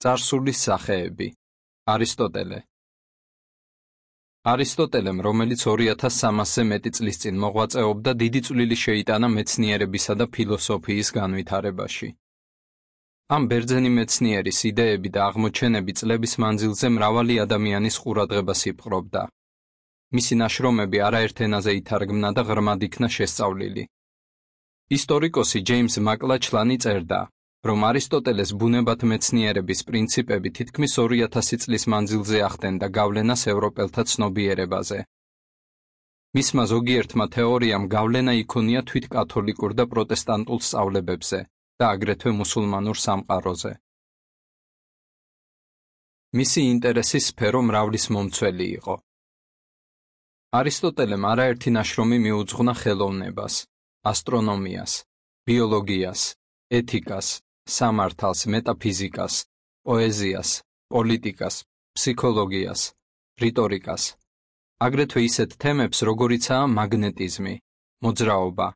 წარსულის სახეები. არისტოტელე. არისტოტელემ, რომელიც 2300-ზე მეტი წლის წინ მოღვაწეობდა, დიდი წვლილი შეიტანა მეცნიერებისა და ფილოსოფიის განვითარებაში. ამ ბერძენი მეცნიერის იდეები და აღმოჩენები წლების მანძილზე მრავალი ადამიანის ყურადღებას იპყრობდა. მისი ნაშრომები არაერთ ენაზე ითარგმნა და ღრმად იქნა შესწავლილი. ისტორიკოსი ჯეიმს მაკლაჩლანი წერდა, რომ არისტოტელეს ბუნებათ მეცნიერების პრინციპები თითქმის 2000 წლის მანძილზე ახდენდა გავლენას ევროპელთა ცნობიერებაზე. მისმა ზოგიერთმა თეორიამ გავლენა იქონია თვით კათოლიკურ და პროტესტანტულ სწავლებებზე და აგრეთვე მუსულმანურ სამყაროზე. მისი ინტერესის სფერო მრავლის მომცველი იყო. არისტოტელემ არაერთი ნაშრომი მიუძღვნა ხელოვნებას, ასტრონომიას, ბიოლოგიას, ეთიკას, სამართალს, მეტაფიზიკას, პოეზიას, პოლიტიკას, ფსიქოლოგიას, რიტორიკას, აგრეთვე ისეთ თემებს, როგორიცაა მაგნეტიზმი, მოძრაობა,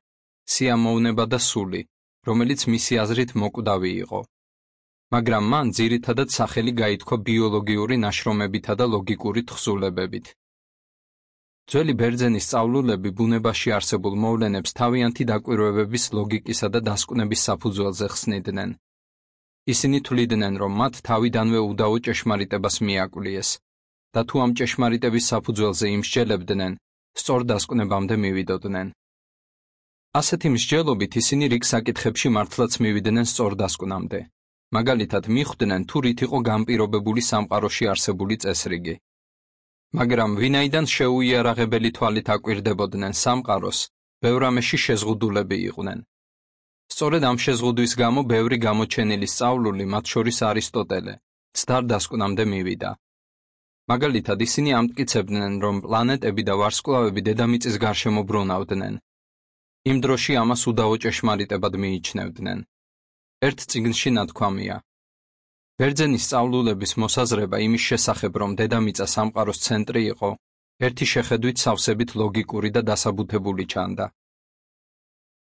სიამოვნება და სული, რომელიც მისი აზრით მოკვდავი იყო. მაგრამ მან ძირითადად სახელი გაითქვა ბიოლოგიური ნაშრომებითა და ლოგიკური თხზულებებით. ძველი ბერძენი სწავლულები ბუნებაში არსებულ მოვლენებს თავიანთი დაკვირვებების ლოგიკისა და დასკვნების საფუძველზე ხსნიდნენ. ისინი თვლიდნენ, რომ მათ თავიდანვე უდავო ჭეშმარიტებას მიაკვლიეს და თუ ამ ჭეშმარიტების საფუძველზე იმსჯელებდნენ, სწორ დასკვნებამდე მივიდოდნენ. ასეთი მსჯელობით ისინი რიგ საკითხებში მართლაც მივიდნენ სწორ დასკვნამდე. მაგალითად, მიხვდნენ თუ რით იყო განპირობებული სამყაროში არსებული წესრიგი. მაგრამ ვინაიდან შეუიარაღებელი თვალით აკვირდებოდნენ სამყაროს, ბევრ ამაში შეზღუდულები იყვნენ. სწორედ ამ შეზღუდვის გამო ბევრი გამოჩენილი სწავლული, მათ შორის არისტოტელე, ცდარ დასკვნამდე მივიდა. მაგალითად, ისინი ამტკიცებდნენ, რომ პლანეტები და ვარსკვლავები დედამიწის გარშემო ბრუნავდნენ. იმ დროში ამას უდავო ჭეშმარიტებად მიიჩნევდნენ. ერთ წიგნში ნათქვამია: ბერძენი სწავლულების მოსაზრება იმის შესახებ, რომ დედამიწა სამყაროს ცენტრი იყო, ერთი შეხედვით სავსებით ლოგიკური და დასაბუთებული ჩანდა.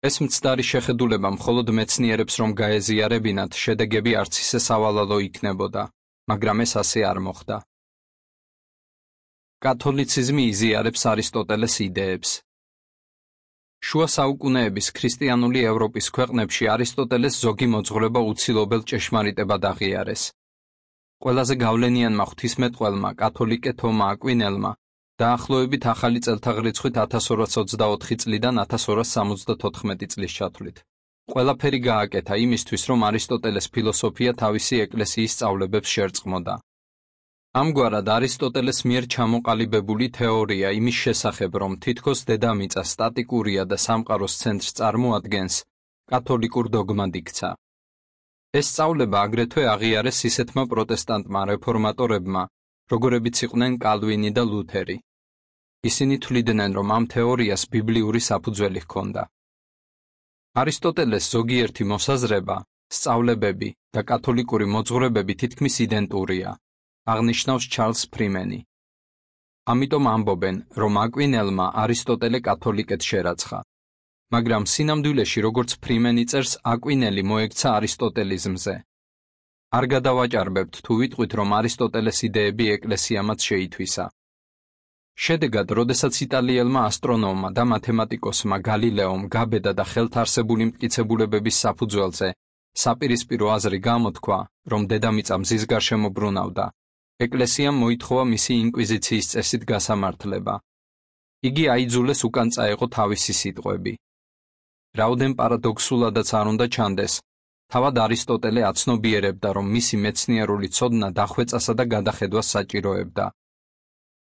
ეს მცდარი შეხედულება მხოლოდ მეცნიერებს რომ გაეზიარებინათ, შედეგები არც ისე სავალალო იქნებოდა, მაგრამ ეს ასე არ მოხდა. კათოლიციზმი იზიარებს არისტოტელეს იდეებს. შუა საუკუნეების ქრისტიანული ევროპის ქვეყნებში არისტოტელეს ზოგი მოძღვრება უცილობელ ჭეშმარიტებად აღიარეს. ყველაზე გავლენიანმა ღვთისმეტყველმა კათოლიკე თომა აკვინელმა დაახლოებით ახალი წელთაღრიცხვით 1224 წლიდან 1274 წლის ჩათვლით ყველაფერი გააკეთა იმისთვის, რომ არისტოტელეს ფილოსოფია თავისი ეკლესიის სწავლებებს შერწყმოდა. ამგვარად არისტოტელეს მიერ ჩამოყალიბებული თეორია იმის შესახებ, რომ თითქოს დედამიწა სტატიკურია და სამყაროს ცენტრს წარმოადგენს, კათოლიკურ დოგმად იქცა. ეს სწავლება აგრეთვე აღიარეს ისეთმა პროტესტანტმა რეფორმატორებმა, როგორებიც იყვნენ კალვინი და ლუთერი. ისინი თვლიდნენ, რომ ამ თეორიას ბიბლიური საფუძველი ჰქონდა. არისტოტელეს ზოგიერთი მოსაზრება, სწავლებები და კათოლიკური მოძღვრებები თითქმის იდენტურია, აღნიშნავს ჩარლს ფრიმენი. ამიტომ ამბობენ, რომ აკვინელმა არისტოტელე კათოლიკედ შერაცხა. მაგრამ სინამდვილეში, როგორც ფრიმენი წერს, აკვინელი მოექცა არისტოტელიზმზე. არ გადავაჭარბებთ თუ ვიტყვით, რომ არისტოტელეს იდეები ეკლესიამაც შეითვისა. შედეგად, როდესაც იტალიელმა ასტრონომმა და მათემატიკოსმა გალილეომ გაბედა და ხელთ არსებული მტკიცებულებების საფუძველზე საპირისპირო აზრი გამოთქვა, რომ დედამიწა მზის გარშემო ბრუნავდა, ეკლესიამ მოითხოვა მისი ინკვიზიციის წესით გასამართლება. იგი აიძულეს უკან წაეღო თავისი სიტყვები. რაოდენ პარადოქსულადაც არ უნდა ჩანდეს, თავად არისტოტელე აცნობიერებდა, რომ მისი მეცნიერული ცოდნა დახვეწასა და გადახედვას საჭიროებდა.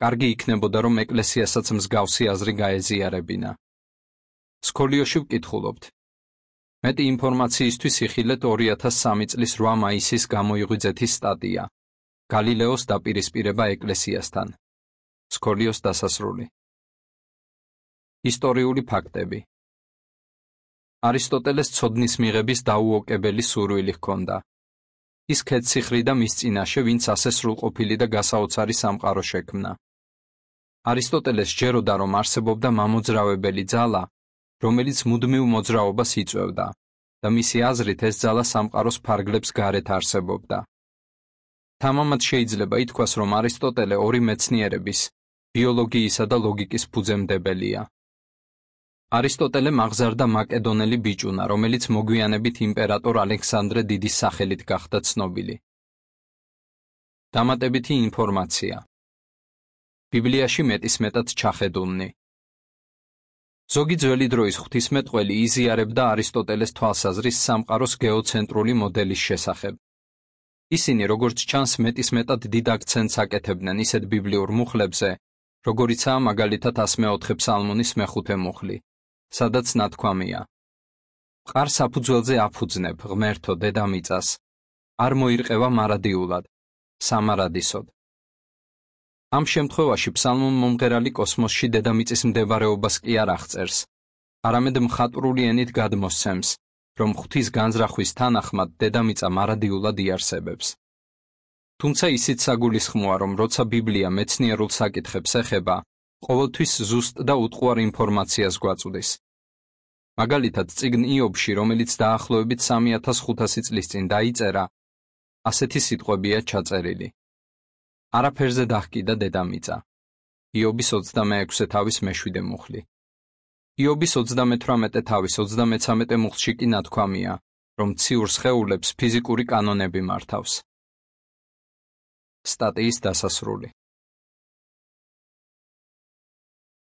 კარგი იქნებოდა, რომ ეკლესიასაც მსგავსი აზრი გაეზიარებინა. სკოლიოში ვკითხულობთ. მეტი ინფორმაციისთვის იხილეთ 2003 წლის 8 მაისის გამოიღვიძეთის სტატია. გალილეოს დაპირისპირება ეკლესიასთან. სკოლიოს დასასრული. ისტორიული ფაქტები. არისტოტელეს ცოდნის მიღების დაუოკებელი სურვილი ჰქონდა. ის ქედციხრიდა მის წინაშე, ვინც ასე სრულყოფილი და გასაოცარი სამყარო შექმნა. არისტოტელეს სჯეროდა, რომ არსებობდა მამოძრავებელი ძალა, რომელიც მუდმივ მოძრაობას იწვევდა და მისი აზრით ეს ძალა სამყაროს ფარგლებს გარეთ არსებობდა. თამამად შეიძლება ითქვას, რომ არისტოტელე ორი მეცნიერების, ბიოლოგიისა და ლოგიკის ფუძემდებელია. არისტოტელე მაღზარდა მაკედონელი ბიჭუნა, რომელიც მოგვიანებით იმპერატორ ალექსანდრე დიდის სახელით გახდა ცნობილი. დამატებითი ინფორმაცია. ბიბლიაში მეტისმეტად ჩახედულნი. ზოგი ძველი დროის ღვთისმეტყველი იზიარებდა არისტოტელეს თვალსაზრის სამყაროს გეოცენტრული მოდელის შესახებ. ისინი, როგორც ჩანს, მეტისმეტად დიდ აქცენტს აკეთებდნენ ისეთ ბიბლიურ მუხლებზე, როგორიცაა მაგალითად 104 ფსალმონის მეხუთე მუხლი, სადაც ნათქვამია: მყარ საფუძველზე აფუძნებ, ღმერთო, დედამიწას, არ მოირყევა მარადიულად, სამარადისოდ. ამ შემთხვევაში ფსალმონ მომღერალი კოსმოსში დედამიწის მდებარეობას კი არ აღწერს, არამედ მხატვრული ენით გადმოსცემს, რომ ღვთის განზრახვის თანახმად დედამიწა მარადიულად იარსებებს. თუმცა ისიც საგულისხმოა, რომ როცა ბიბლია მეცნიერულ საკითხებს ეხება, ყოველთვის ზუსტ და უტყუარ ინფორმაციას გვაწვდის. მაგალითად, წიგნ იობში, რომელიც დაახლოებით 3500 წლის წინ დაიწერა, ასეთი სიტყვებია ჩაწერილი: არაფერზე დაჰკიდა დედამიწა. იობის 26 თავის მე-7 მუხლი. იობის 38 თავის 33 მუხლში კი ნათქვამია, რომ ციურ სხეულებს ფიზიკური კანონები მართავს. სტატიის დასასრული.